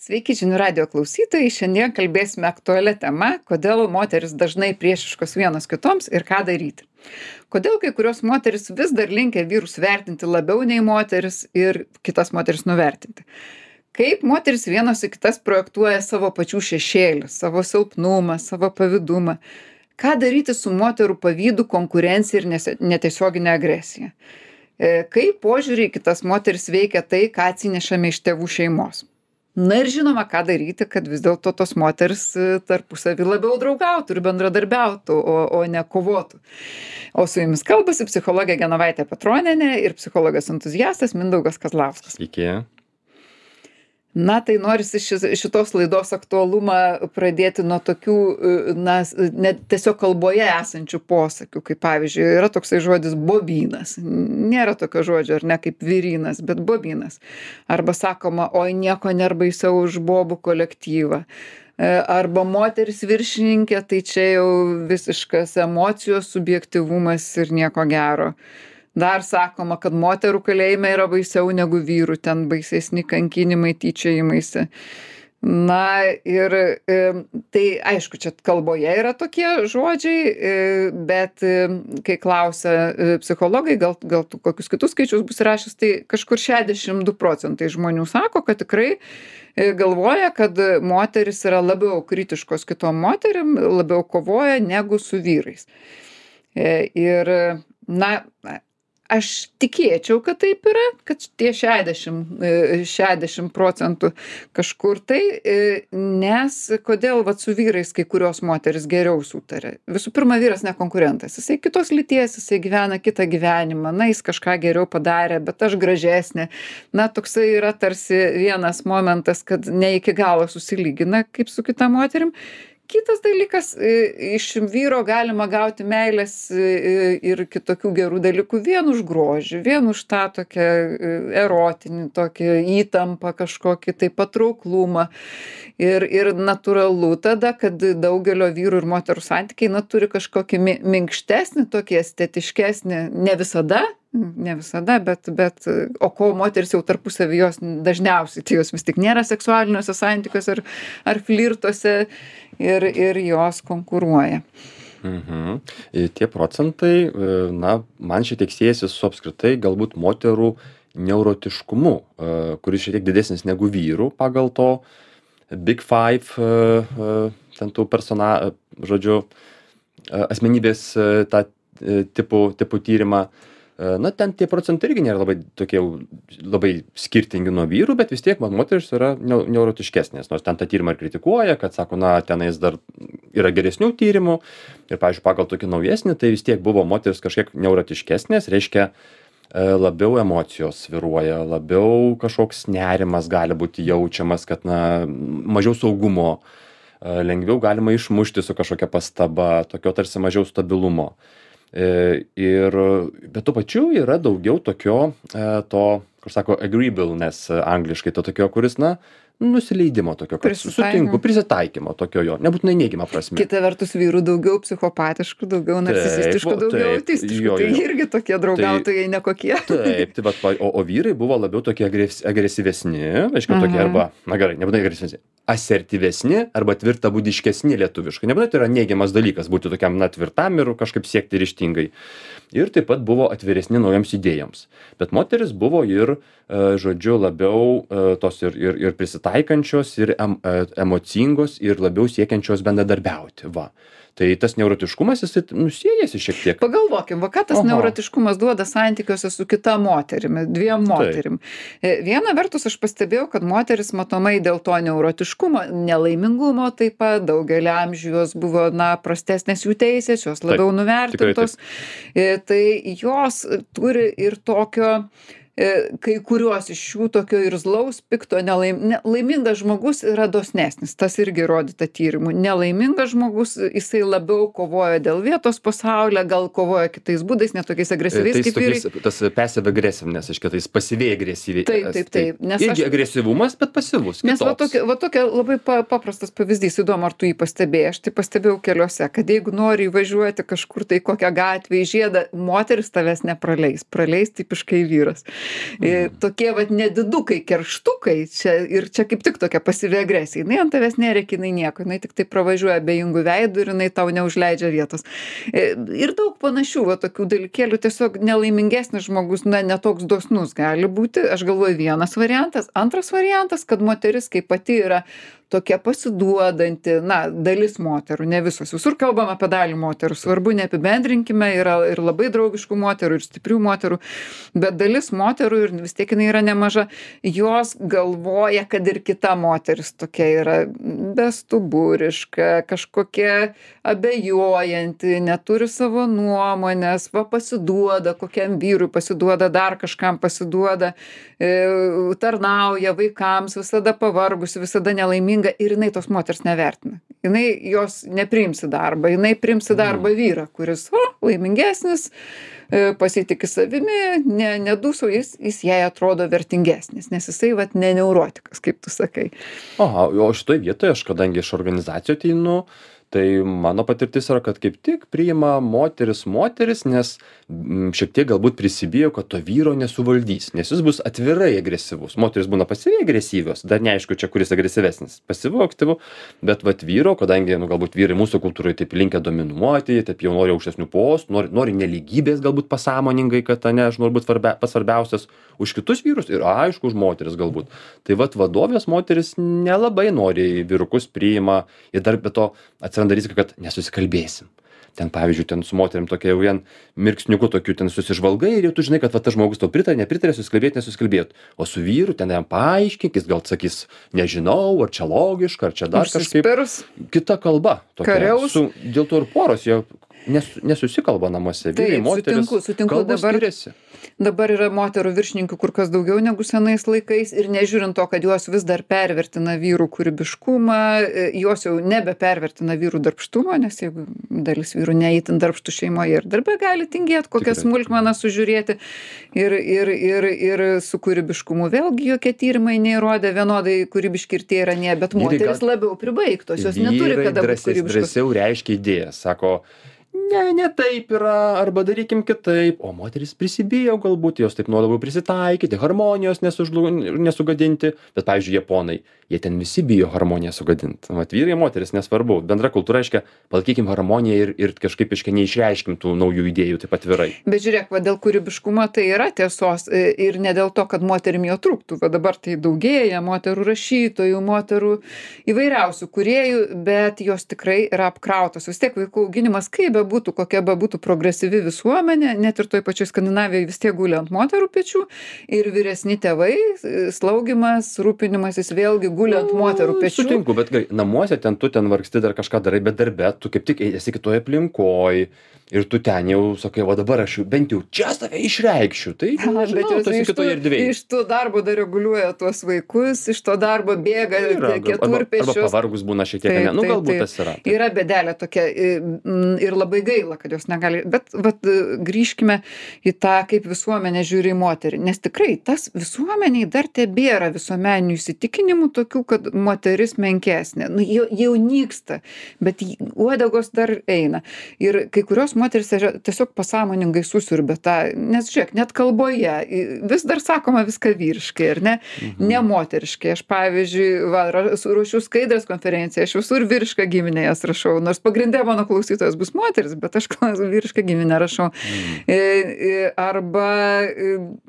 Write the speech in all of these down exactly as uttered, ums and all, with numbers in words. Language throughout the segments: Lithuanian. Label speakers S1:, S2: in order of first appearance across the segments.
S1: Sveiki žinių radijo klausytojai, šiandien kalbėsime aktualią temą, kodėl moteris dažnai priešiškos vienos kitoms ir ką daryti. Kodėl kai kurios moteris vis dar linkia vyrus vertinti labiau nei moteris ir kitas moteris nuvertinti. Kaip moteris vienos į kitas projektuoja savo pačių šešėlį, savo silpnumą, savo pavydumą. Ką daryti su moterų pavydu, konkurencija ir nese- netiesioginė agresija. E, Kaip požiūrį į kitas moteris veikia tai, ką atsinešame iš tėvų šeimos. Na ir žinoma, ką daryti, kad vis dėlto tos moteris e, tarpusavį labiau draugautų ir bendradarbiautų, o, o ne kovotų. O su jumis kalbasi psichologė Genovaitė Petronienė ir psichologas entuziastas Mindaugas Kazlauskas.
S2: Iki.
S1: Na, tai norisi šis, šitos laidos aktualumą pradėti nuo tokių, e, na, s- net tiesiog kalboje esančių posakių, kaip pavyzdžiui, yra toksai žodis bobynas. Nėra tokio žodžio, ar ne, kaip vyrynas, bet bobynas. Arba sakoma, oi nieko nėra baisiau už bobų kolektyvą. E, Arba moteris viršininkė, tai čia jau visiškas emocijos subjektyvumas ir nieko gero. Dar sakoma, kad moterų kalėjime yra baisiau negu vyrų, ten baisesni kankinimai, tyčiojimaisi. Na ir e, tai aišku, čia kalboje yra tokie žodžiai, e, bet e, kai klausia e, psichologai, gal, gal tu kokius kitus skaičius bus rašęs, tai kažkur šešiasdešimt du procentai žmonių sako, kad tikrai e, galvoja, kad moteris yra labiau kritiškos kitom moterim, labiau kovoja negu su vyrais. E, Ir, na, aš tikėčiau, kad taip yra, kad tie šešiasdešimt, e, šešiasdešimt procentų kažkur tai, e, nes kodėl vat su vyrais kai kurios moteris geriau sutarė. Visų pirma, vyras ne konkurentas, jisai kitos lyties, jisai gyvena kitą gyvenimą, na, jis kažką geriau padarė, bet aš gražesnė. Na, toksai yra tarsi vienas momentas, kad ne iki galo susilygina kaip su kita moterim. Kitas dalykas, e, iš vyro galima gauti meilės e, ir kitokių gerų dalykų vien už grožį, vien už tą tokią e, erotinį, tokį įtampą kažkokį, tai patrauklumą. Ir, ir natūralu tada, kad daugelio vyrų ir moterų santykiai, na, turi kažkokį mi- minkštesnį, tokį estetiškesnį, ne visada, ne visada, bet, bet, o ko moteris jau tarpusavį jos dažniausiai, tai jos vis tik nėra seksualiniuose santykiuose ar, ar flirtuose ir, ir jos konkuruoja.
S2: Mhm. Ir tie procentai, e, na, man šiek tiek siejasi su apskritai galbūt moterų neurotiškumu, e, kuris šiek tiek didesnis negu vyrų pagal to Big Five, e, e, ten tų persona, e, žodžiu, e, asmenybės e, tą e, tipų, tipų tyrimą. E, Na, ten tie procentai irgi nėra labai tokie jau labai skirtingi nuo vyrų, bet vis tiek man moteris yra neu- neurotiškesnės. Nors ten tą tyrimą ir kritikuoja, kad sako, na, tenais dar yra geresnių tyrimų. Ir, pavyzdžiui, pagal tokį naujesnį, tai vis tiek buvo moteris kažkiek neurotiškesnės, reiškia, e, labiau emocijos sviruoja, labiau kažkoks nerimas gali būti jaučiamas, kad, na, mažiau saugumo, e, lengviau galima išmušti su kažkokia pastaba, tokio tarsi mažiau stabilumo. E, Ir, bet tuo pačiu yra daugiau tokio, e, to, kur sako, agreeableness e, angliškai, to tokio, kuris, na, nusileidimo tokio, kad
S1: Prisitaikymo.
S2: sutinku, prisitaikymo tokio jo, nebūtinai neigiamą prasme.
S1: Kita vertus vyrų daugiau psichopatiškų, daugiau narcisistiškų,
S2: vo-
S1: daugiau
S2: taip,
S1: autistiškų.
S2: jo,
S1: Tai
S2: jo, jo.
S1: irgi tokie draugautojai nekokie.
S2: Taip, tai vat, va, o, o vyrai buvo labiau tokie agres, agresyvesni, aišku, tokie
S1: Mhm.
S2: arba, na gerai, nebūtinai agresyvesni, asertyvesni arba tvirtabūdiškesni lietuviškai. Nebūtinai tai yra neigiamas dalykas būti tokiam, na, tvirtam ir kažkaip siekti ryžtingai. Ir taip pat buvo atviresni naujoms idėjoms. Bet moteris buvo ir, e, žodžiu, labiau e, tos ir, ir, ir prisitaikančios, ir em, e, emocingos, ir labiau siekiančios bendradarbiauti. Va. Tai tas neurotiškumas, jis nusiejasi šiek tiek.
S1: Pagalvokim, va ką tas
S2: Aha.
S1: neurotiškumas duoda santykiuose su kita moterimi, dviem moterim. E, Viena vertus aš pastebėjau, kad moteris matomai dėl to neurotiškumo, nelaimingumo taip pat, daugelį amžių jos buvo, na, prastesnės jų teisės, jos labiau
S2: Taip,
S1: nuvertintos. E, Tai jos turi ir tokio, e, kai kurios iš jų tokio irzlaus, pikto, nelaim, ne, laimingas žmogus yra dosnesnis, tas irgi rodyta tyrimų. Nelaimingas žmogus, jisai labiau kovoja dėl vietos pasaulyje, gal kovoja kitais būdais, netokiais
S2: E,
S1: agresyviais
S2: tais
S1: kaip vyrai.
S2: tokiais, tas passive aggressiveness, aiškiai, tais pasyviai agresyviai.
S1: Taip, taip, taip, nes
S2: Irgi
S1: aš-
S2: agresyvumas, bet pasyvus.
S1: Nes va
S2: kitoks.
S1: tokia, va tokia labai pa, paprastas pavyzdys, įdomu, ar tu jį pastebėjai, aš tai pastebėjau keliuose, kad jeigu nori įvažiuoti kažkur tai kokią gatvę į žiedą, moteris tavęs nepraleis, praleis tipiškai vyras. E, tokie vat nedidukai, kerštukai, čia, ir čia kaip tik tokia pasyvi agresija. Jinai ant tavęs nerėkia, jinai nieko, jinai tik tai pravažiuoja abejingų veidų ir jinai tau neužleidžia vietos. E, ir daug panašių va, tokių dalykėlių, tiesiog nelaimingesnis žmogus, na, netoks dosnus gali būti. Aš galvoju, vienas variantas. Antras variantas, kad moteris kaip pati yra tokia pasiduodanti, na, dalis moterų, ne visos. Visur kalbam apie dalį moterų. Svarbu, neapibendrinkime, yra ir labai draugiškų moterų, ir stiprių moterų, bet dalis moterų, ir vis tiek jinai yra nemaža, jos galvoja, kad ir kita moteris tokia yra bestuburiška, kažkokia abejojanti, neturi savo nuomonės, va pasiduoda kokiam vyrui, pasiduoda dar kažkam, pasiduoda, e, tarnauja vaikams, visada pavargusi, visada nelaiminga. Ir jinai tos moters nevertina. Jinai jos nepriims į darbą. Jinai priims į darbą vyrą, kuris o, laimingesnis, pasitiki savimi, ne, nedūsau, jis, jis jai atrodo vertingesnis, nes jisai vat ne neurotikas, kaip tu sakai.
S2: Aha, o šitoj vietoje aš, kadangi iš organizacijų ateinu, tai mano patirtis yra, kad kaip tik priima moteris moteris, nes m, šiek tiek galbūt prisibijo, kad to vyro nesuvaldys, nes jis bus atvirai agresyvus. Moteris būna pasyviai agresyvios, dar neaišku čia kuris agresyvesnis, pasyvu, aktyvu, bet vat vyro, kadangi nu, galbūt vyrai mūsų kultūroje taip linkę dominuoti, taip jau nori aukštesnių postų, nori, nori nelygybės galbūt pasąmoningai, kad ne, aš noriu būti svarbia, pasvarbiausias už kitus vyrus ir aišku už moteris galbūt. Tai vat vadovės moteris nelabai nori vyrukus priima ir dar be to atsiranda rizika, kad nesusikalbėsim. Ten, pavyzdžiui, ten su moterim tokia jau vien mirksniuku tokiu ten susižvalgai ir jau tu žinai, kad va, tas žmogus tau pritarė, nepritarė, susikalbėti, nesusikalbėti. O su vyru ten jam paaiškink, jis gal sakys, nežinau, ar čia logiška, ar čia dar kažkaip. Kita kalba. Tokia, su, dėl to ir poros jie nes, nesusikalba namuose. Vyrai, moteris,
S1: sutinku, sutinku, dabar,
S2: skiriasi.
S1: Dabar yra moterų viršininkių kur kas daugiau negu senais laikais ir nežiūrint to, kad jos vis dar pervertina vyrų kūrybiškumą, jos jau nebepervertina vyrų darbštumą, nes jeigu dalis vyrų neįtin darbštų šeimoje ir darbe gali tingėti kokią smulkmeną sužiūrėti ir, ir, ir, ir su kūrybiškumu vėlgi jokie tyrimai neįrodė vienodai kūrybiški ir tie yra ne, bet moteris gal... labiau pribaigtos, jos neturi kada būti kūrybiškos.
S2: Drąsiau reiškia idėjas, sako, ne, ne taip yra, arba darykim kitaip, o moteris prisibijo galbūt, jos taip nori labiau prisitaikyti, harmonijos nesužlu, nesugadinti, bet, pavyzdžiui, japonai, jie ten visi bijo harmoniją sugadinti. Vat vyrai, moteris, nesvarbu, bendra kultūra reiškia, palaikykim harmoniją ir, ir kažkaip iškia neišreiškim tų naujų idėjų taip atvirai.
S1: Bet žiūrėk, va, dėl kūrybiškumo tai yra tiesos ir ne dėl to, kad moterim jo trūktų, va dabar tai daugėja moterų rašytojų, moterų įvairiausių kūrėjų, bet jos tikrai yra apkrautos. Vis tiek vaikų auginimas, kaip bebūtų, kokia bebūtų progresyvi visuomenė, net ir toj pačioj Skandinavijoje vis tiek guli ant moterų pečių ir vyresni tėvai, slaugimas, rūpinimasis vėlgi guli ant moterų pečių.
S2: Sutinku, bet gerai, namuose ten tu ten vargsti, dar kažką darai, bet darbe tu kaip tik esi kitoje aplinkoje ir tu ten jau sakai, va dabar aš jau bent jau čia save išreikščiau. Tai,
S1: Na,
S2: žinau,
S1: bet
S2: tu esi
S1: iš,
S2: kitoje
S1: tų,
S2: erdvėje.
S1: iš to darbo dar reguliuoja tuos vaikus, iš to darbo bėga keturpečius.
S2: Arba pavargus būna šiek tiek, taip, ne, nu galbūt taip, tas yra.
S1: Taip. Yra bėdelė tokia ir labai gaila, kad jos negali. Bet vat, grįžkime į tą, kaip visuomenė žiūri į moterį. Nes tikrai tas visuomeniai dar tebėra visuomeninių įsitikinimų tokių, kad moteris menkesnė. Nu, jau, jau nyksta, bet uodegos dar eina. Ir kai kurios moteris tiesiog pasąmoningai susiurbia tą, nes žiūrėk, net kalboje vis dar sakoma viską vyriškai, ar ne? Mhm. Ne moteriškai. Aš, pavyzdžiui, va, ruošiu skaidrės konferenciją, aš visur vyrišką giminę jas rašau, nors pagrindė mano klausytojas bus moteris, bet aš vyrišką giminę rašau. Mhm. Arba,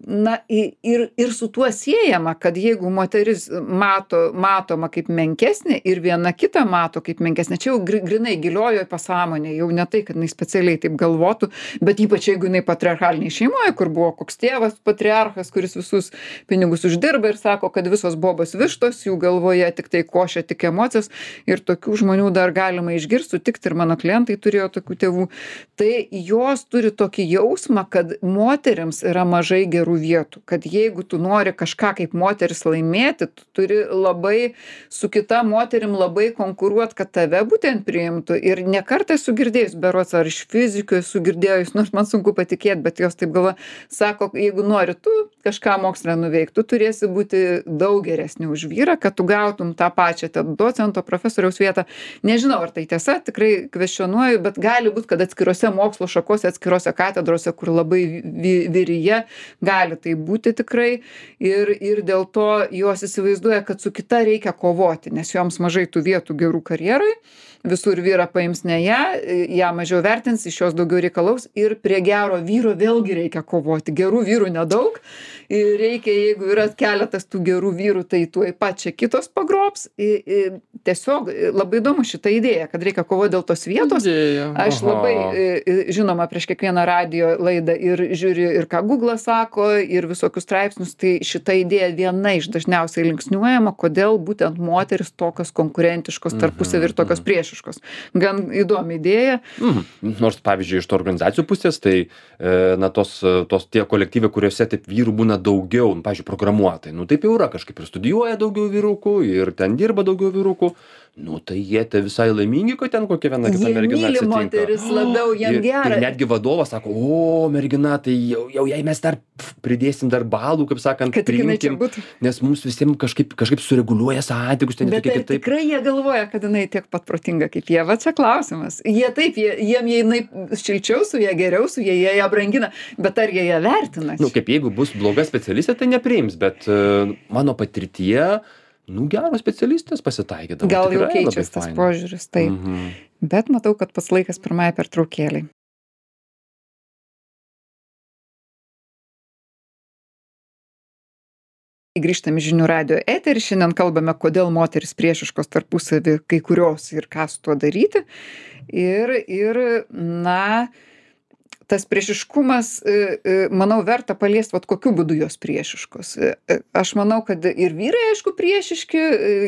S1: na, ir, ir su tuo siejama, kad jeigu moteris mato, matoma kaip menkesnė ir viena kitą mato kaip menkesnė, čia jau grinai giliojoje pasąmonėje, jau ne tai, kad jinai specialiai taip galvotų, bet ypač jeigu jinai patriarchalinėje šeimoje, kur buvo koks tėvas patriarchas, kuris visus pinigus uždirba ir sako, kad visos bobos vištos, jų galvoje tik tai košia, tik emocijos ir tokių žmonių dar galima išgirsti, sutikti ir mano klientai turėjo tokių tėvų, tai jos turi tokį jausmą, kad moterims yra mažai gerų vietų, kad jeigu tu nori kažką kaip moteris laimėti, tu turi labai su kita moterim labai konkuruoti, kad tave būtent priimtų ir nekartą esu girdėjus, berods ar iš fizikų esu girdėjus, nors man sunku patikėti, bet jos taip galva, sako, jeigu nori tu kažką mokslę nuveikti, tu turėsi būti daug geresnį už vyrą, kad tu gautum tą pačią docento, profesoriaus vietą. Nežinau, ar tai tiesa, tikrai kvestionuoju, bet gali būti, turbūt, kad atskirose mokslo šakose, atskirose katedrose, kur labai vi vyrija, gali tai būti tikrai. Ir, ir dėl to jos įsivaizduoja, kad su kita reikia kovoti, nes joms mažai tų vietų gerų karjerai. Visur vyrą paims ne ją, ją mažiau vertins, iš jos daugiau reikalaus ir prie gero vyro vėlgi reikia kovoti. Gerų vyrų nedaug ir reikia, jeigu yra keletas tų gerų vyrų, tai tuoj pat čia kitos pagrobs. I, i, tiesiog labai įdomu šita idėja, kad reikia kovoti dėl tos vietos.
S2: Idėja.
S1: Aš
S2: Aha.
S1: labai, i, žinoma, prieš kiekvieną radijo laidą ir žiūriu ir ką Google sako, ir visokius straipsnius, tai šita idėja viena iš dažniausiai linksniuojama, kodėl būtent moteris tokios konkurentiškos tarpusavy ir tokios priešiškos. Gan įdomi idėja.
S2: Mhm. Nors, pavyzdžiui, iš to organizacijų pusės, tai, e, na, tos, tos tie kolektyvai, kuriuose taip vyrų būna daugiau, nu, pavyzdžiui, programuotojai, nu, taip jau yra, kažkaip ir studijuoja daugiau vyrukų, ir ten dirba daugiau vyrukų. Nu, tai jie te visai laimingi, kad ten kokia viena kita
S1: Jie
S2: mergina
S1: myli
S2: atsitinka.
S1: moteris labiau, jiem
S2: ir,
S1: gera.
S2: ir netgi vadovas sako, o, mergina, tai jau, jau jai mes dar pf, pridėsim dar balų, kaip sakant,
S1: Kad tik jinai čia
S2: priimkim,
S1: būtų.
S2: nes mums visiems kažkaip, kažkaip sureguliuoja santykius, ten
S1: Bet
S2: tokie
S1: ar
S2: kitaip.
S1: tikrai jie galvoja, kad jinai tiek pat protinga kaip jie? Va čia klausimas. Jie taip, jie, jiem jie jinai šilčiau su jie, geriau su jie, jie ją brangina, bet ar jie ją vertina?
S2: Nu, kaip jeigu bus bloga specialistė, tai nepriims, bet uh, mano patirtyje, nu, geros specialistės pasitaikydavo.
S1: Gal jau
S2: Tikrai labai
S1: keičiasi tas
S2: faina.
S1: požiūris, taip.
S2: Mhm.
S1: Bet matau, kad pats laikas pirmąją pertraukėlei. Grįžtame į žinių radijo eterį. Šiandien kalbame, kodėl moteris priešiškos tarpusavy kai kurios ir ką su tuo daryti. Ir, ir na, tas priešiškumas, manau, verta paliesti, vat kokiu būdu jos priešiškos. Aš manau, kad ir vyrai, aišku, priešiški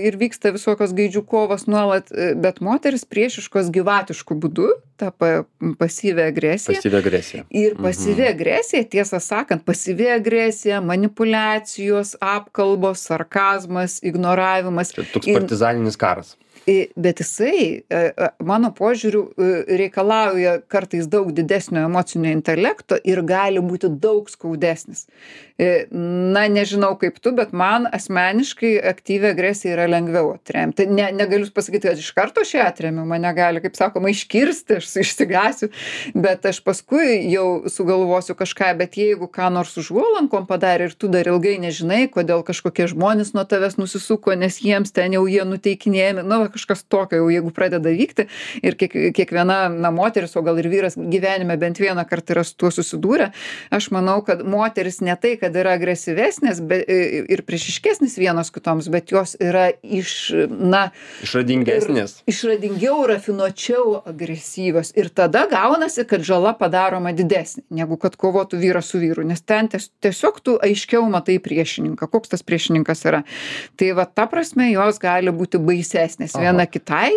S1: ir vyksta visokios gaidžių kovos nuolat, bet moteris priešiškos gyvatišku būdu, ta pa, pasyvi agresija.
S2: Pasyvi agresija.
S1: Ir pasyvi
S2: Mhm.
S1: agresija, tiesą sakant, pasyvi agresija, manipulacijos, apkalbos, sarkazmas, ignoravimas.
S2: Čia toks
S1: Ir-
S2: partizaninis karas.
S1: I- Bet jisai, e, e, mano požiūriu, e, reikalauja kartais daug didesnio emocinio intelekto ir gali būti daug skaudesnis. E, Na, nežinau kaip tu, bet man asmeniškai aktyvi agresija yra lengviau atremti. Ne, negaliu pasakyti, kad iš karto aš ją atremiu, mane gali, kaip sakoma, iškirsti, aš išsigasiu, bet aš paskui jau sugalvosiu kažką, bet jeigu ką nors užuolankom padarė ir tu dar ilgai nežinai, kodėl kažkokie žmonės nuo tavęs nusisuko, nes jiems ten jau jie nuteikinėjami, nu, va, kažkas tokio jau jeigu pradeda vykti ir kiek, kiekviena na, moteris, o gal ir vyras gyvenime bent vieną kartą yra su tuo susidūrę, aš manau, kad moteris ne tai, kad yra agresyvesnės be, ir priešiškesnės vienos kitoms, bet jos yra iš, na,
S2: Išradingesnės.
S1: ir išradingiau, rafinuočiau agresyvios. Ir tada gaunasi, kad žala padaroma didesnė, negu kad kovotų vyras su vyru, nes ten ties, tiesiog tu aiškiau matai priešininką, koks tas priešininkas yra. Tai va, ta prasme, jos gali būti baisesnės viena kitai.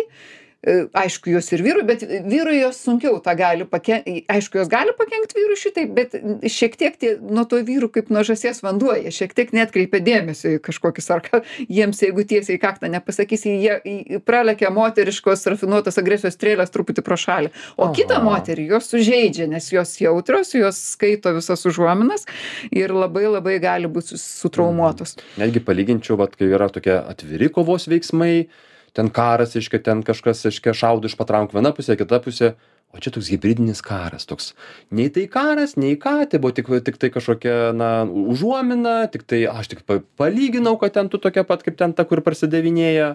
S1: E, Aišku, jos ir vyrui, bet vyrui jos sunkiau tą gali pakenkti. Aišku, jos gali pakenkti vyrui šitai, bet šiek tiek tie, nuo to vyrų kaip nuo žąsies vanduo, jie šiek tiek netkreipia dėmesio į kažkokį sarką. Jiems, jeigu tiesiai į kaktą nepasakysi, jie į- pralekia moteriškos rafinuotos agresijos strėlės truputį pro šalį. O
S2: Aha.
S1: kitą moterį jos sužeidžia, nes jos jautrios, jos skaito visas užuominas ir labai labai gali būti sutraumuotos.
S2: Netgi palyginčiau, vat, kai yra tokie atviri kovos veiksmai, ten karas, iškia, ten kažkas, iškia, šaudo iš patrankų viena pusė, kita pusė, o čia toks hybridinis karas, toks, nei tai karas, nei ką, tai buvo tik, tik tai kažkokia, na, užuomina, tik tai, aš tik pa- palyginau, kad ten tu tokia pat, kaip ten ta, kur prasidevinėja,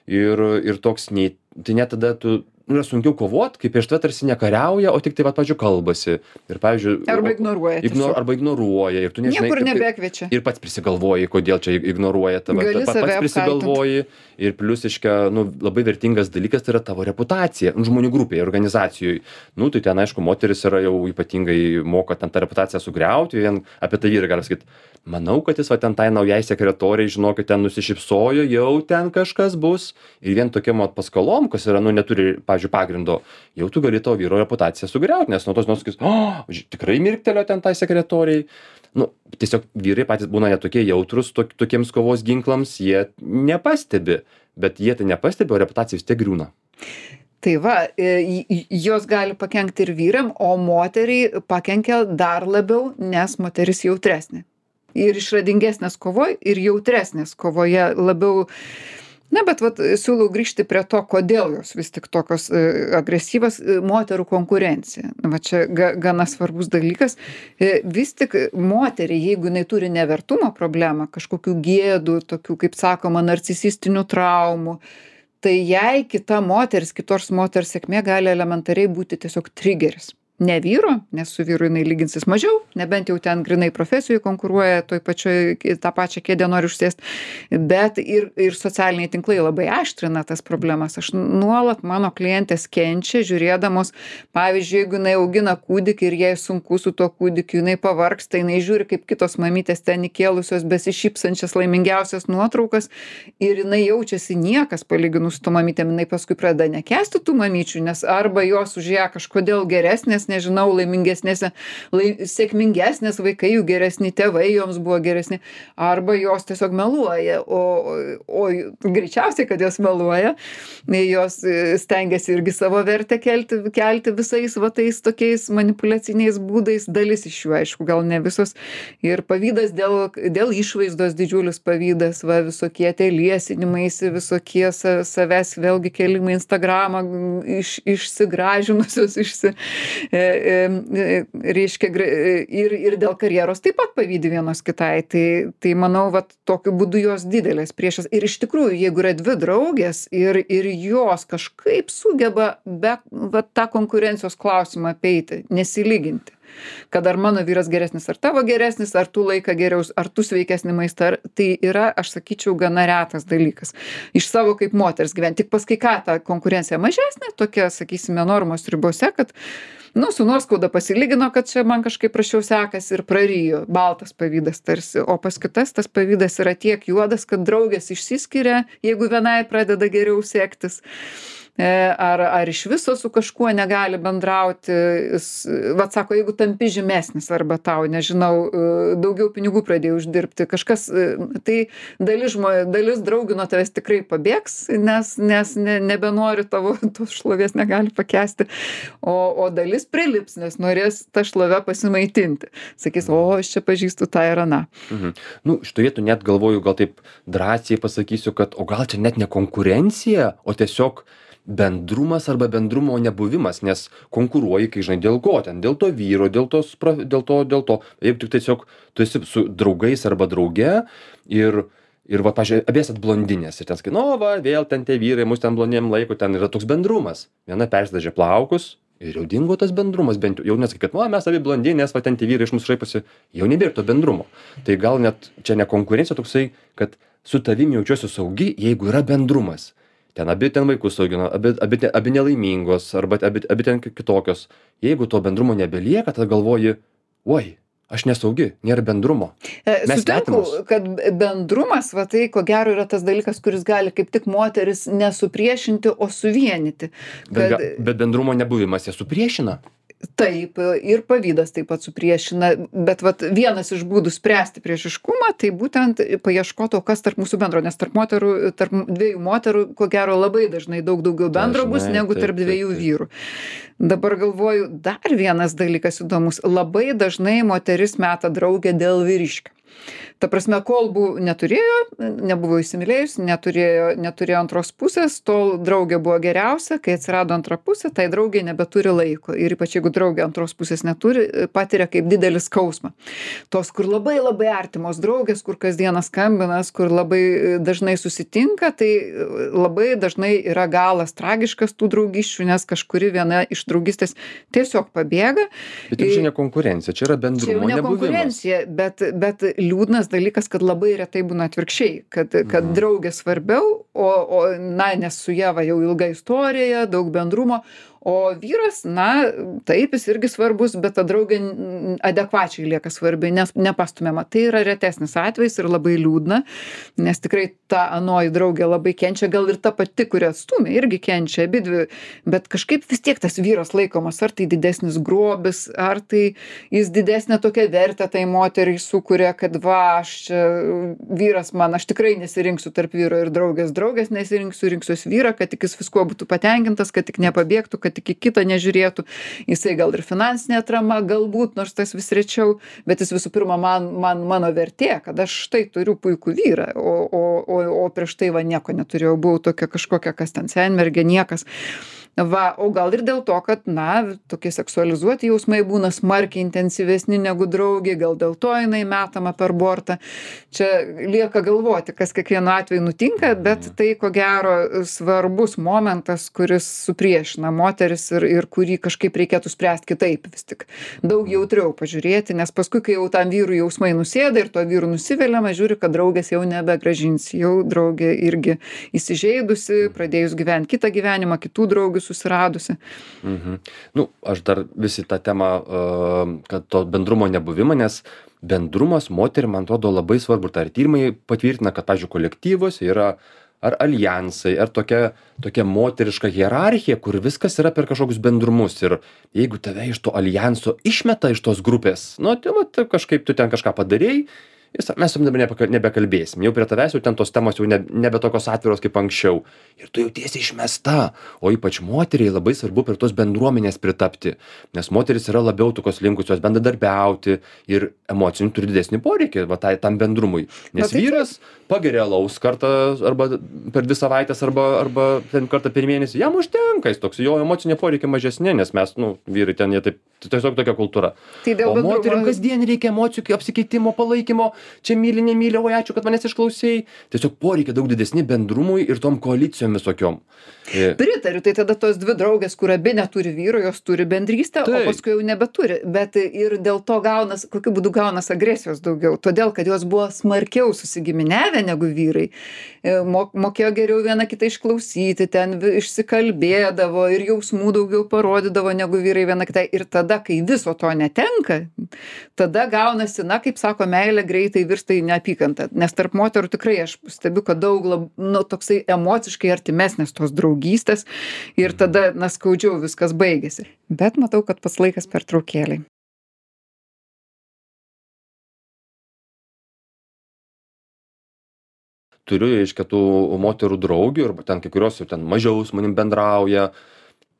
S2: ir, ir toks, nei, tai net tada tu, nu, yra sunkiau kovot, kaip prieš tave tarsi nekariauja, o tik tai, va, pavyzdžiui, kalbasi, ir, pavyzdžiui,
S1: Arba
S2: o-
S1: ignoruoja.
S2: Ignor,
S1: tiesiog.
S2: arba ignoruoja, ir tu nežinai,
S1: Niekur
S2: kaip- kaip-
S1: nebekviečia.
S2: ir pats prisigalvoji, kodėl čia ignoruoja tave.
S1: Gali
S2: Pa-
S1: save
S2: pats prisigalvoji ir plius, iškia, nu, labai vertingas dalykas tai yra tavo reputacija, nu, žmonių grupėje, organizacijoje. Nu, tai ten, aišku, moteris yra jau ypatingai moka ten tą reputaciją sugriauti, vien apie tai vyrai gali sakyti, manau, kad jis va ten tai naujai sekretoriai, žinokit, ten nusišypsojo, jau ten kažkas bus. Ir vien tokiam vat paskalom, kas yra, nu, neturi, pavyzdžiui, pagrindo, jau tu gali to vyro reputaciją sugriauti, nes nuo tos nors sakys, o, ži- tikrai mirktelio ten tai sekretoriai. Nu, tiesiog vyrai patys būna netokie jautrus tok, tokiems kovos ginklams, jie nepastebi, bet jie tai nepastebi, o reputacija vis tiek griūna.
S1: Tai va, e, j- jos gali pakenkti ir vyram, o moteriai pakenkia dar labiau, nes moteris jautresnė. Ir išradingesnės kovoje, ir jautresnės kovoje labiau Na, bet vat siūlau grįžti prie to, kodėl jos vis tik tokios e, agresyvios e, moterų konkurencija. Va čia ga, gana svarbus dalykas. E, vis tik moteriai, jeigu jinai turi nevertumo problemą, kažkokių gėdų, tokių, kaip sakoma, narcisistinių traumų, tai jai kita moteris, kitos moters sėkmė gali elementariai būti tiesiog trigeris. Ne vyro, nes su vyru jinai lyginsis mažiau, nebent jau ten grinai profesijoje konkuruoja, toj pačioj tą pačią kėdę nori užsėsti, bet ir, ir socialiniai tinklai labai aštrina tas problemas. Aš nuolat mano klientės kenčia, žiūrėdamos, pavyzdžiui, jeigu jinai augina kūdikį ir jai sunku su tuo kūdikiu, jinai pavargsta, jinai žiūri, kaip kitos mamytės ten įkėlusios besišypsančias laimingiausias nuotraukas ir jinai jaučiasi niekas palyginus su to mamytėm, jinai paskui pradeda nekęsti tų mamyčių, nes arba jos už ją kažkodėl geresnės, nežinau, laimingesnės, lai, sėkmingesnės vaikai, jų geresni tėvai, joms buvo geresni, arba jos tiesiog meluoja, o, o greičiausiai, kad jos meluoja, jos stengiasi irgi savo vertę kelti, kelti visais va tais tokiais manipuliaciniais būdais, dalis iš jų, aišku, gal ne visos, ir pavydas dėl, dėl išvaizdos, didžiulis pavydas, va, visokie tie liesinimaisi, visokie sa, savęs vėlgi kelimai Instagramą, iš, išsigražinusios, išsi, reiškia, ir, ir dėl karjeros taip pat pavydi vienos kitai. Tai, tai manau, vat, tokiu būdu jos didelės priešas. Ir iš tikrųjų, jeigu yra dvi draugės ir, ir jos kažkaip sugeba be vat, tą konkurencijos klausimą apeiti, nesilyginti. Kad ar mano vyras geresnis, ar tavo geresnis, ar tu laiką geriau, ar tu sveikesnį maistą, ar tai yra, aš sakyčiau, gana retas dalykas. Iš savo kaip moters gyventi. Tik paskui ką ta konkurencija mažesnė, tokia, sakysime, normos ribose, kad, nu, su nuoskauda pasilygino, kad čia man kažkaip prašiau sekasi ir prarijo, baltas pavydas tarsi, o pas kitas tas pavydas yra tiek juodas, kad draugės išsiskiria, jeigu vienai pradeda geriau sektis. Ar, ar iš viso su kažkuo negali bendrauti, vat sako, jeigu tampi žymesnis arba tau, nežinau, daugiau pinigų pradėjai uždirbti, kažkas, tai dalis, žmo, dalis draugių nuo tavęs tikrai pabėgs, nes, nes ne, nebenori tavo tos šlovės, negali pakęsti, o, o dalis prilips, nes norės tą šlovę pasimaitinti. Sakys, o aš čia pažįstu tą ir aną.
S2: Mhm. Nu, šitoj vietų net galvoju, gal taip drąsiai pasakysiu, kad o gal čia net ne konkurencija, o tiesiog bendrumas arba bendrumo nebuvimas, nes konkuruoji, kai žinai, dėl ko ten, dėl to vyro, dėl, tos, dėl to, dėl to. Jeigu tik tiesiog tu esi su draugais arba drauge ir, ir va, pažiūrėjau, abiesat blondinės ir ten sakai, nu, va, vėl ten tie vyrai, mus ten blondiem laiko, ten yra toks bendrumas. Viena persidažė plaukus ir jau dingo tas bendrumas, bent jau nesakai, kad, nu, mes abi blondinės, va, ten tie vyrai iš mūsų šaiposi, jau nebėra to bendrumo. Tai gal net čia ne konkurencija toksai, kad su tavimi jaučiuosi saugi, jeigu yra bendrumas. Ten abi ten vaikus augino, abi, abi, abi nelaimingos, arba abi, abi ten kitokios. Jeigu to bendrumo nebelieka, tada galvoji, oi, aš nesaugi, nėra bendrumo. Mes
S1: Sutinku, kad bendrumas, va tai ko gero yra tas dalykas, kuris gali kaip tik moteris nesupriešinti, o suvienyti. Kad...
S2: Bet, bet bendrumo nebuvimas ją supriešina.
S1: Taip, ir pavydas taip pat supriešina, bet vat vienas iš būdų spręsti priešiškumą, tai būtent paieškoti, o kas tarp mūsų bendro, nes tarp moterų, tarp dviejų moterų, ko gero labai dažnai daug daugiau bendro dažnai, bus negu tarp taip, dviejų taip, taip. vyrų. Dabar galvoju, dar vienas dalykas įdomus, labai dažnai moteris meta draugę dėl vyriškio. Ta prasme, kol buvo, neturėjo, nebuvo įsimylėjus, neturėjo, neturėjo antros pusės, tol draugė buvo geriausia, kai atsirado antra pusė, tai draugė nebeturi laiko. Ir ypač jeigu draugė antros pusės neturi, patiria kaip didelį skausmą. Tos, kur labai labai artimos draugės, kur kasdieną skambinas, kur labai dažnai susitinka, tai labai dažnai yra galas tragiškas tų draugiščių, nes kažkuri viena iš draugystės tiesiog pabėga.
S2: Bet čia ne konkurencija, čia yra bendrumo nebuvimas. Čia ne konkurencija,
S1: bet, bet liūdnas dalykas, kad labai retai būna atvirkščiai, kad, kad mm. draugė svarbiau, o, o na, nes su ja va jau ilga istorija, daug bendrumo, o vyras, na, taip, jis irgi svarbus, bet ta draugė adekvačiai lieka svarbi, nes nepastumiama. Tai yra retesnis atvejis ir labai liūdna, nes tikrai ta anoji draugė labai kenčia, gal ir ta pati, kuri atstumė, irgi kenčia abidvi, bet kažkaip vis tiek tas vyras laikomas, ar tai didesnis grobis, ar tai jis didesnė tokia vertę tai moteriai sukuria, kad va, aš čia vyras man, aš tikrai nesirinksiu tarp vyro ir draugės, draugės nesirinksiu, rinksiuos vyrą, kad tik jis visko būtų patenkintas, kad tik nepabėgtų, kad kad tik į kitą nežiūrėtų. Jisai gal ir finansinė atrama, galbūt, nors tas vis rečiau, bet jis visų pirma man, man mano vertė, kad aš štai turiu puikų vyrą, o, o, o, o prieš tai va nieko neturėjau, buvau tokia kažkokia, kas ten senmergė, niekas. Va, o gal ir dėl to, kad, na, tokie seksualizuoti jausmai būna smarkiai intensyvesni negu draugė, gal dėl to jinai metama per bortą. Čia lieka galvoti, kas kiekvienu atveju nutinka, bet tai, ko gero, svarbus momentas, kuris supriešina moteris ir, ir kurį kažkaip reikėtų spręsti kitaip vis tik. Daug jautriau pažiūrėti, nes paskui, kai jau tam vyrų jausmai nusėda ir to vyrų nusiveliama, žiūri, kad draugės jau nebegražins, jau draugė irgi įsižeidusi, pradėjus gyventi kitą gyvenimą, kitų draugių susiradusi.
S2: Mhm. Nu, aš dar visi tą temą, uh, kad to bendrumo nebuvimą, nes bendrumas moterim, man atrodo, labai svarbu. Tai ir tyrimai patvirtina, kad, pavyzdžiui, kolektyvos yra ar alijansai, ar tokia, tokia moteriška hierarchija, kur viskas yra per kažkokius bendrumus. Ir jeigu tave iš to alijanso išmeta iš tos grupės, nu, tai va, kažkaip tu ten kažką padarėjai, mes su dabar nebekalbėsim. Jau prie tavęs jau ten tos temos jau ne, nebe tokios atviros kaip anksčiau. Ir tu jautiesi išmesta. O ypač moteriai labai svarbu prie tos bendruomenės pritapti. Nes moteris yra labiau tokios linkusios bendradarbiauti ir emocinių turi didesnį poreikį va, tai, tam bendrumui. Nes
S1: tai
S2: vyras pageria alaus kartą arba per dvi savaitės arba, arba ten kartą per mėnesį. Jam užtenka, jis toks, jo emocinė poreikiai mažesnė, nes mes, nu, vyrai ten jie taip, tiesiog tokia kultūra.
S1: Tai
S2: o moterim kasdien reikia emocijų apsikeitimo, palaikymo. Čia myli, nemyli, oi ačiū, kad manęs išklausėjai. Tiesiog poreikia daug didesni bendrumui ir tom koalicijom visokiom.
S1: Pritariu, tai tada tos dvi draugės, kur abi neturi vyro, jos turi bendrystę, tai. O paskui jau nebeturi. Bet ir dėl to gaunas, kokiu būdu gaunas agresijos daugiau. Todėl, kad jos buvo smarkiau susigiminiavę negu vyrai. Mokėjo geriau vieną kitą išklausyti, ten išsikalbėdavo ir jausmų daugiau parodydavo negu vyrai viena kitai. Ir tada, kai viso to netenka, tada gaunasi, na, kaip sako, meilė greitai virsta į neapykantą. Nes tarp moterų tikrai aš stebiu, kad daug, lab, nu, toksai emociškai artimesnės tos draugystės ir tada, na, skaudžiau viskas baigėsi. Bet matau, kad pats laikas pertraukėlei.
S2: Turiu, reiškia, tų moterų draugių ir ten kai kurios jau ten mažiau su manim bendrauja.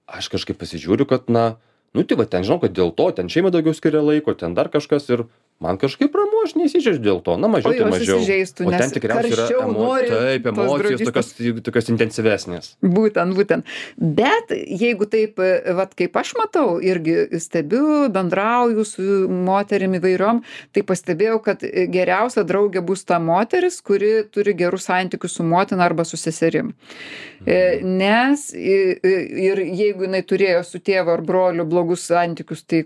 S2: Aš kažkaip pasižiūriu, kad, na, nu, tai va, ten žinau, kad dėl to, ten šeima daugiau skiria laiko, ten dar kažkas ir man kažkaip ramu, aš neįsižeidžiu dėl to, na, mažiau, tai mažiau. O ten tikriausiai yra emo... taip, emocijos tokios, tokios intensyvesnės.
S1: Būtent, būtent. Bet jeigu taip, vat, kaip aš matau, irgi stebiu, bendrauju su moterim įvairiom, tai pastebėjau, kad geriausia draugė bus ta moteris, kuri turi gerus santykius su motina arba su seserim. Mhm. Nes ir jeigu jinai turėjo su tėvu ar broliu blogus santykius, tai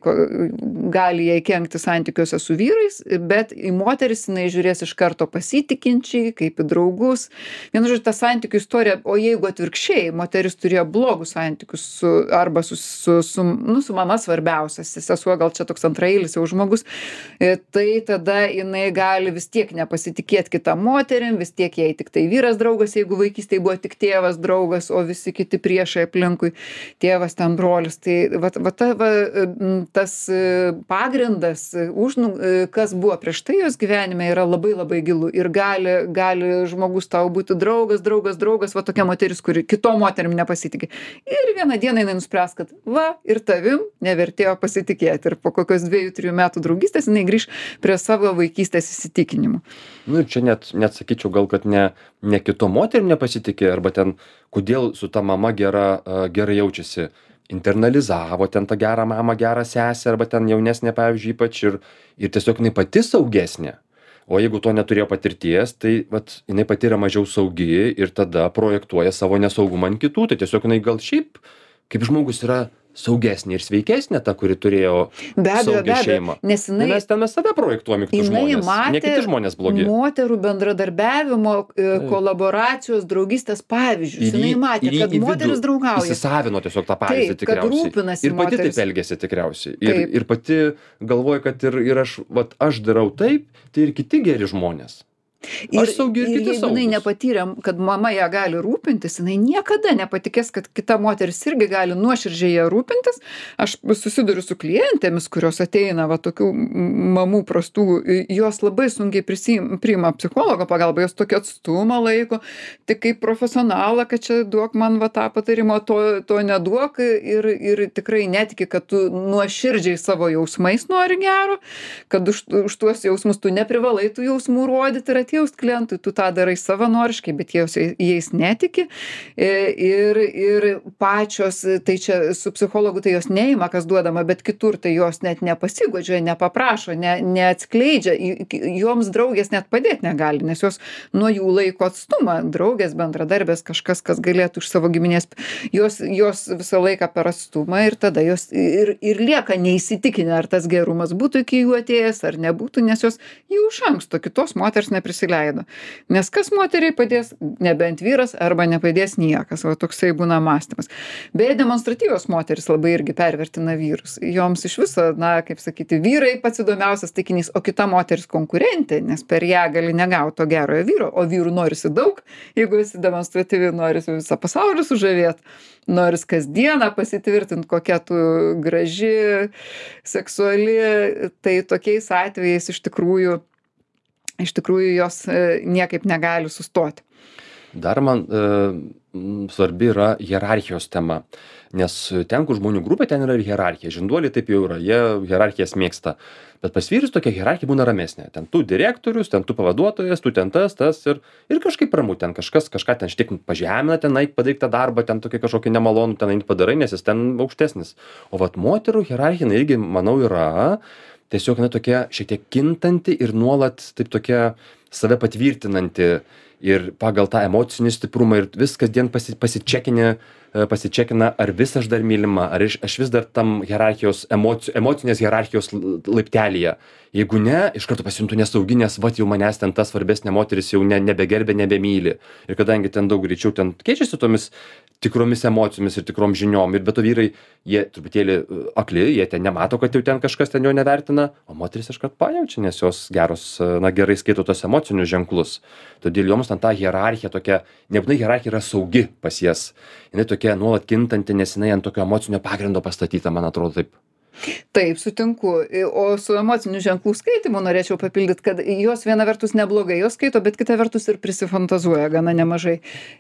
S1: gali jai kenkti santykiuose su vyrais, bet į moteris jinai žiūrės iš karto pasitikinčiai, kaip į draugus. Vienu žodžiu, ta santykių istorija, o jeigu atvirkščiai, moteris turėjo blogus santykius su, arba su, su, su, nu, su mama svarbiausias, sesuo gal čia toks antrailis jau žmogus, tai tada jinai gali vis tiek nepasitikėti kitą moterim, vis tiek jai tik tai vyras draugas, jeigu vaikystėje buvo tik tėvas draugas, o visi kiti priešai aplinkui, tėvas ten brolis. Tai va, va, ta, va, tas pagrindas, už, kas buvo prieš tai jos gyvenime, yra labai labai gilu ir gali, gali žmogus tau būti draugas, draugas, draugas, va tokia moteris, kuri kitom moterim nepasitikė. Ir vieną dieną jinai nuspręs, kad va, ir tavim nevertėjo pasitikėti. Ir po kokios dviejų, trijų metų draugystės jinai grįž prie savo vaikystės įsitikinimų.
S2: Nu, čia net, net sakyčiau, gal, kad ne, ne kitom moterim nepasitikė, arba ten, kodėl su ta mama gera, gerai jaučiasi. Internalizavo ten tą gerą mamą, gerą sesę, arba ten jaunesnė, pavyzdžiui, ypač ir, ir tiesiog jinai pati saugesnė. O jeigu to neturėjo patirties, tai vat, jinai pati yra mažiau saugi ir tada projektuoja savo nesaugumą ant kitų. Tai tiesiog jinai gal šiaip, kaip žmogus yra saugesnė ir sveikesnė ta, kuri turėjo saugią šeimą.
S1: Nes jinai,
S2: mes ten mes save projektuojame kitus žmonės, ne kiti žmonės blogi.
S1: Moterų bendradarbiavimo, kolaboracijos, draugystės pavyzdžius.
S2: Ir,
S1: jinai matė,
S2: ir,
S1: kad moteris draugauja.
S2: Įsisavino tiesiog tą pavyzdį
S1: taip,
S2: tikriausiai.
S1: Kad rūpinasi
S2: ir pati
S1: moteris.
S2: Taip elgėsi tikriausiai. Ir, ir pati galvoja, kad ir, ir aš, vat, aš darau taip, tai ir kiti geri žmonės.
S1: Ir,
S2: Aš saugi ir
S1: ir
S2: kiti
S1: jeigu jinai
S2: saugūs.
S1: nepatyrė, kad mama ją gali rūpintis, jinai niekada nepatikės, kad kita moteris irgi gali nuoširdžiai ją rūpintis. Aš susiduriu su klientėmis, kurios ateina, va, tokių m- mamų prastų, jos labai sunkiai prisim, priima psichologo pagalbą, jos tokį atstumą laiko, tik kaip profesionalą, kad čia duok man va tą patarimą, to, to neduok ir, ir tikrai netiki, kad tu nuoširdžiai savo jausmais nori gero, kad už, už tuos jausmus tu neprivalai tų jausmų rodyti ir atjaust klientui, tu tą darai savanoriškai, bet jie jais netiki. E, Ir, ir pačios, tai čia su psichologu tai jos neima, kas duodama, bet kitur tai jos net nepasigodžia, nepaprašo, ne, neatskleidžia, I- joms draugės net padėti negali, nes jos nuo jų laiko atstumą, draugės, bendradarbės, kažkas, kas galėtų iš savo giminės, jos, jos visą laiką per atstumą ir tada jos ir, ir lieka neįsitikinę, ar tas gerumas būtų iki jų atėjęs, ar nebūtų, nes jos jau iš anksto kitos moters neprisileido. Nes kas moteriai padės, nebent vyras, arba nepadės niekas, o toksai būna mąstymas. Beje, demonstratyvios moteris labai irgi pervertina vyrus. Joms iš viso, na, kaip sakyti, vyrai pats įdomiausias taikinys, o kita moteris konkurentė, nes per ją gali negauti to gerojo vyro, o vyrų norisi daug, jeigu esi demonstratyvi, norisi visą pasaulį sužavėti, norisi kasdieną pasitvirtinti, kokia tu graži, seksuali, tai tokiais atvejais iš tikrųjų iš tikrųjų jos e, niekaip negali sustoti.
S2: Dar man e, m, svarbi yra hierarchijos tema, nes ten, kur žmonių grupė, ten yra ir hierarchija. Žinduoliai taip jau yra, jie hierarchijas mėgsta. Bet pas vyrus tokia hierarchija būna ramesnė. Ten tu direktorius, ten tu pavaduotojas, tu ten tas, tas ir, ir kažkaip ramu. Ten kažkas kažką ten šiek tiek pažemina, ten eik padaryk tą darbą, ten tokį kažkokį nemalonų, ten eik padarai, nes jis ten aukštesnis. O vat moterų hierarchija jinai irgi, manau, yra tiesiog na, tokia šiek tiek kintanti ir nuolat taip tokia save patvirtinanti ir pagal tą emocinį stiprumą ir vis kasdien pasi, pasičekinė, e, pasičekina, ar vis aš dar mylima, ar aš, aš vis dar tam hierarchijos, emoci, emocinės hierarchijos l- laiptelyje. Jeigu ne, iš karto pasijuntu nesaugi, nes vat jau manęs ten ta svarbesnė moteris jau ne, nebegerbė, nebemyli. Ir kadangi ten daug greičiau ten keičiasi tomis tikromis emocijomis ir tikrom žiniom, ir be to vyrai, jie truputėlį e, akli, jie ten nemato, kad jau ten kažkas ten jo nevertina, o moteris iškart pajaučia, nes jos geros, e, na gerai skaito tos emocinius ženklus. Todėl joms ten ta hierarchija tokia, nebūtinai hierarchija yra saugi pas jas, jinai tokia nuolat kintanti, nes jinai ant tokio emocinio pagrindo pastatyta, man atrodo taip.
S1: Taip, sutinku. O su emocinių ženklų skaitimu norėčiau papildyti, kad jos viena vertus neblogai jos skaito, bet kita vertus ir prisifantazuoja gana nemažai.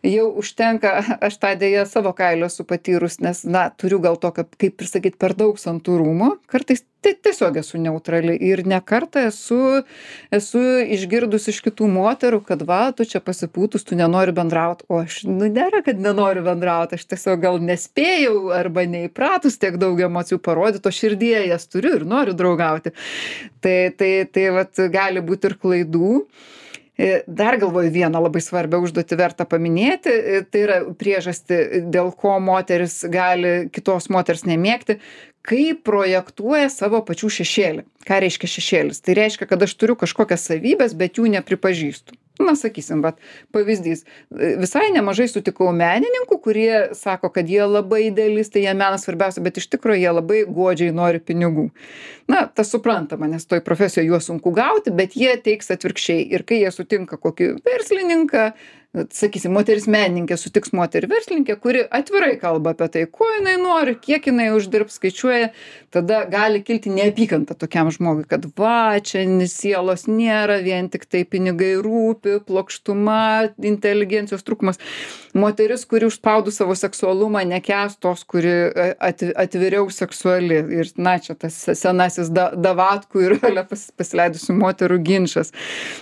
S1: Jau užtenka, aš tą dėją savo kailio esu patyrus, nes, na, turiu gal tokio, kaip ir sakyt, per daug santūrumo. Kartais tai tiesiog esu neutrali ir ne kartą esu, esu išgirdus iš kitų moterų, kad va, tu čia pasipūtus, tu nenori bendrauti, o aš, nu, nėra, kad nenoriu bendrauti, aš tiesiog gal nespėjau arba neįpratus tiek daug emocijų parodyti, o širdie jas turiu ir noriu draugauti. Tai, tai, tai vat, gali būti ir klaidų. Dar galvoju vieną labai svarbią užduotį verta paminėti, tai yra priežastį, dėl ko moteris gali kitos moters nemėgti, kaip projektuoja savo pačių šešėlį. Ką reiškia šešėlis? Tai reiškia, kad aš turiu kažkokias savybės, bet jų nepripažįstu. Na, sakysim, bet pavyzdys. Visai nemažai sutikau menininkų, kurie sako, kad jie labai idealistai, jie menas svarbiausia, bet iš tikrųjų jie labai godžiai nori pinigų. Na, tas suprantama, nes toj profesijoje juos sunku gauti, bet jie teiks atvirkščiai. Ir kai jie sutinka kokį verslininką, sakysim, moteris menininkė sutiks moterį verslininkę, kuri atvirai kalba apie tai, ko jinai nori, kiek jinai uždirbs, skaičiuoja, tada gali kilti neapykanta tokiam žmogui, kad va, čia sielos nėra, vien tik tai pinigai rūpi, plokštuma, inteligencijos trūkumas. Moteris, kuri užspaudų savo seksualumą, nekęs tos, kuri atviriau seksuali. Ir, na, čia tas senasis da, davatkų ir pas, pasileidusių moterų ginčas.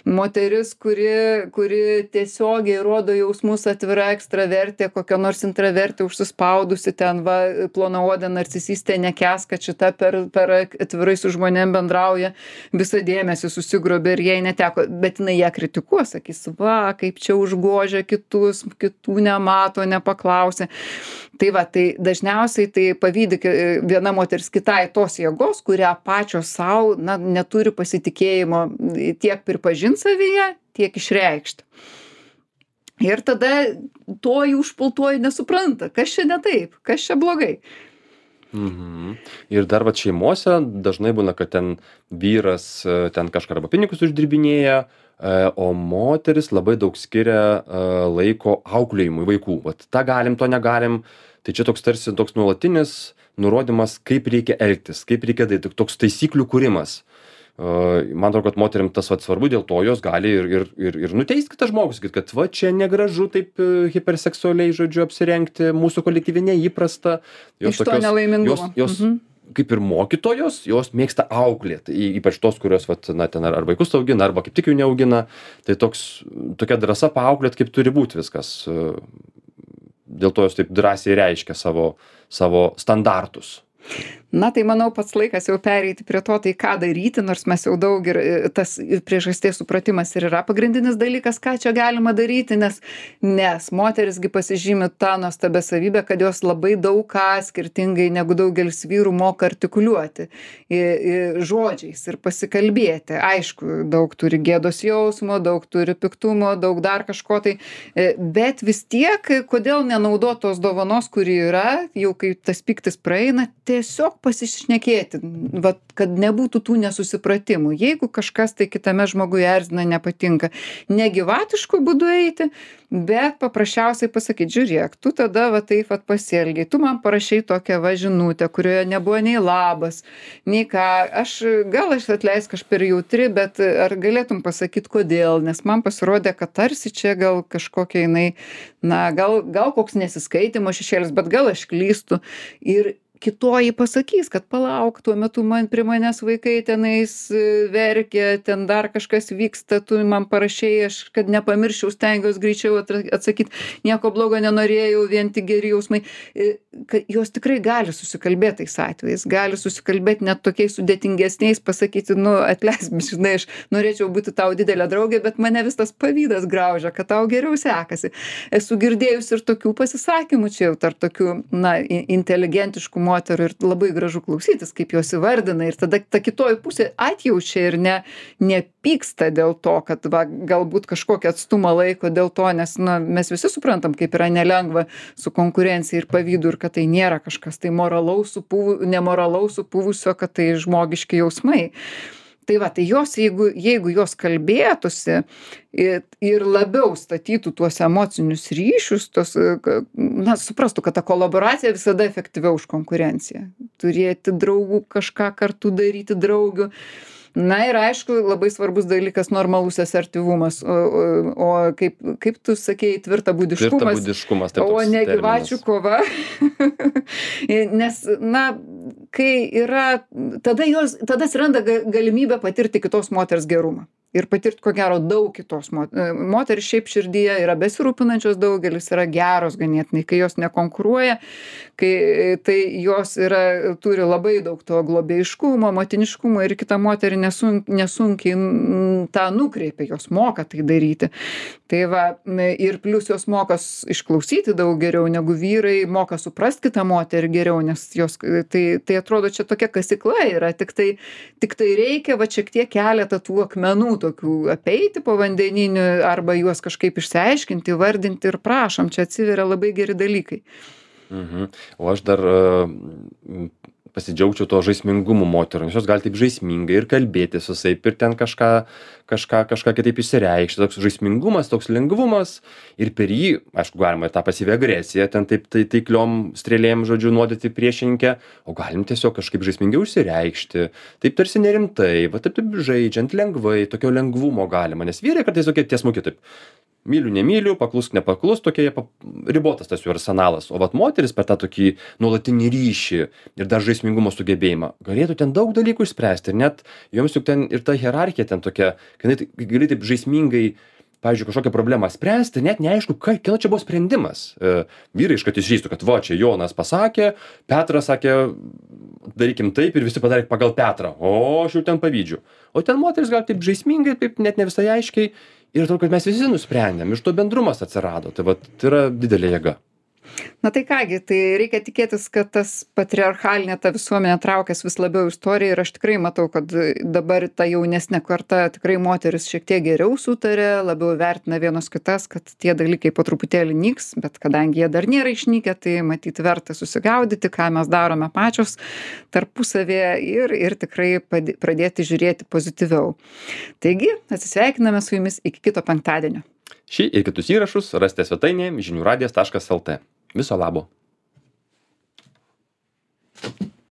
S1: Moteris, kuri, kuri tiesiogiai rodo jausmus, atvira ekstravertė, kokia nors intravertė užsispaudusi ten, va, plonaodė narcisistė, nekęs, kad šita per, per atvirai su žmonėm bendrauja, visą dėmesį susigrobė ir jai neteko, bet jinai ją kritikuos, sakys, va, kaip čia užgožia kitus, kitų nemato, nepaklausė. Tai va, tai dažniausiai tai pavydi viena moteris kitai tos jėgos, kurią pačios savo, na, neturi pasitikėjimo tiek pripažinti savyje, tiek išreikšti. Ir tada toji užpultoji nesupranta, kas čia ne taip, kas čia blogai.
S2: Mhm. Ir dar vat šeimose dažnai būna, kad ten vyras ten kažką arba pinigus uždirbinėja, o moteris labai daug skiria laiko auklėjimui vaikų. Vat tą galim, to negalim. Tai čia toks tarsi toks nuolatinis nurodymas, kaip reikia elgtis, kaip reikia daryti, toks taisyklių kūrimas. Man atrodo, kad moterim tas vat svarbu, dėl to jos gali ir, ir, ir, ir nuteisti kitą žmogų, sakyti, kad va čia negražu taip hiperseksualiai, žodžiu, apsirengti, mūsų kolektyve neįprasta. Jos
S1: Iš to nelaimingumo.
S2: Jos, jos mhm. kaip ir mokytojos, jos mėgsta auklėti, ypač tos, kurios vat, na, ten ar, ar vaikus augina, arba kaip tik jų neaugina. Tai toks, tokia drąsa paauklėti, kaip turi būti viskas. Dėl to jos taip drąsiai reiškia savo, savo standartus.
S1: Na, tai manau, pats laikas jau pereiti prie to, tai ką daryti, nors mes jau daug ir tas priežasties supratimas ir yra pagrindinis dalykas, ką čia galima daryti, nes, nes moterisgi pasižymi tą nuostabę savybę, kad jos labai daug ką skirtingai negu daugelis vyrų moka artikuliuoti i, i, žodžiais ir pasikalbėti. Aišku, daug turi gėdos jausmo, daug turi piktumo, daug dar kažko tai, bet vis tiek, kodėl nenaudot tos dovanos, kuri yra, jau kai tas piktis praeina, tiesiog pasišnekėti, vat, kad nebūtų tų nesusipratimų. Jeigu kažkas tai kitame žmoguje erzina, nepatinka, negyvatišku būdu eiti, bet paprasčiausiai pasakyti, žiūrėk, tu tada va taip vat pasielgiai, tu man parašei tokią va žinutę, kurioje nebuvo nei labas, nei ką, aš gal aš atleisk, aš per jautri, bet ar galėtum pasakyti kodėl, nes man pasirodė, kad tarsi čia gal kažkokia jinai, na, gal, gal koks nesiskaitimo šešėlis, bet gal aš klystu. Ir kitoji pasakys, kad palauk, tuo metu man prie manęs vaikai tenais verkia, ten dar kažkas vyksta, tu man parašei, aš kad nepamirščiau, stengiuosi greičiau atsakyti, nieko blogo nenorėjau, vien tik geri jausmai. Jos tikrai gali susikalbėti tais atvejais, gali susikalbėti net tokiais sudėtingesniais, pasakyti, nu, atleisk, žinai, aš norėčiau būti tau didelė draugė, bet mane vis tas pavydas graužia, kad tau geriau sekasi. Esu girdėjus ir tokių pasisakymų, čia jau tarp tokių, na, inteligentiškų moterų ir labai gražu klausytis, kaip jos įvardina ir tada ta kitoji pusė atjaučia ir ne, nepyksta dėl to, kad va, galbūt kažkokį atstumą laiko dėl to, nes na, mes visi suprantam, kaip yra nelengva su konkurencija ir pavydu ir kad tai nėra kažkas tai moralaus, supū, nemoralaus supuvusio, kad tai žmogiški jausmai. Tai va, tai jos, jeigu, jeigu jos kalbėtųsi ir, ir labiau statytų tuos emocinius ryšius, tos, na, suprastų, kad ta kolaboracija visada efektyviau už konkurenciją. Turėti draugų, kažką kartu daryti draugių. Na ir aišku, labai svarbus dalykas normalus asertyvumas, o, o, o kaip, kaip tu sakėjai, tvirtabūdiškumas,
S2: tvirtabūdiškumas taip,
S1: o ne gyvačių kova. Nes, na, kai yra, tada, jos, tada atsiranda galimybė patirti kitos moters gerumą. Ir patirti, ko gero, daug kitos moteris. Moteris šiaip širdyje yra besirūpinančios, daugelis yra geros ganėtinai, kai jos nekonkuruoja, kai tai jos yra, turi labai daug to globėjiškumo, motiniškumo ir kita moterį nesunk, nesunkiai tą nukreipia, jos moka tai daryti. Tai va, ir plus jos moka išklausyti daug geriau negu vyrai, moka suprasti kitą moterį geriau, nes jos, tai, tai atrodo, čia tokia kasykla yra, tik tai, tik tai reikia va šiek tiek keletą tų akmenų tokių apeiti po vandeninių arba juos kažkaip išsiaiškinti, vardinti ir prašom, čia atsiveria labai geri dalykai.
S2: Mhm. O aš dar uh, pasidžiaugčiau to žaismingumu moterų, nes jos gali taip žaismingai ir kalbėti susaip ir ten kažką, kažką, kažką kitaip išsireikšti. Toks žaismingumas, toks lengvumas ir per jį, aišku, galima tą pasyvią agresiją, ten taip tai, taikliom strėlėm, žodžiu, nuodyti priešininkę, o galim tiesiog kažkaip žaismingiau išsireikšti, taip tarsi nerimtai, va taip, taip žaidžiant lengvai, tokio lengvumo galima, nes vyrai kartais tokie tiesmuki taip. Myliu, nemyliu, paklus, nepaklus, tokie ribotas tas jų arsenalas. O vat moteris per tą tokį nuolatinį ryšį ir dar žaismingumo sugebėjimą galėtų ten daug dalykų išspręsti. Ir net joms juk ten ir ta hierarchija ten tokia, kad gali taip žaismingai, pavyzdžiui, kažkokią problemą spręsti, net neaišku, kieno čia buvo sprendimas. E, vyrai iškart išžįstų, kad va, čia Jonas pasakė, Petras sakė, darykim taip ir visi padarė pagal Petrą. O aš jau ten pavydžiu. O ten moteris gal taip žaismingai, taip net ne visai aiškiai. Ir atrodo, kad mes visi nusprendėm, iš to bendrumas atsirado. Tai, va, tai yra didelė jėga.
S1: Na tai kągi, tai reikia tikėtis, kad tas patriarchalinė ta visuomenė traukias vis labiau į istoriją ir aš tikrai matau, kad dabar ta jaunesnė karta tikrai moteris šiek tiek geriau sutarė, labiau vertina vienos kitas, kad tie dalykai po truputėlį nyks, bet kadangi jie dar nėra išnykę, tai matyt verta susigaudyti, ką mes darome pačios tarpusavėje ir, ir tikrai padė- pradėti žiūrėti pozityviau. Taigi, atsisveikiname su jumis iki kito penktadienio.
S2: Šį ir kitus įrašus rasite svetainėje žinių radijas taškas lt. Viso labo.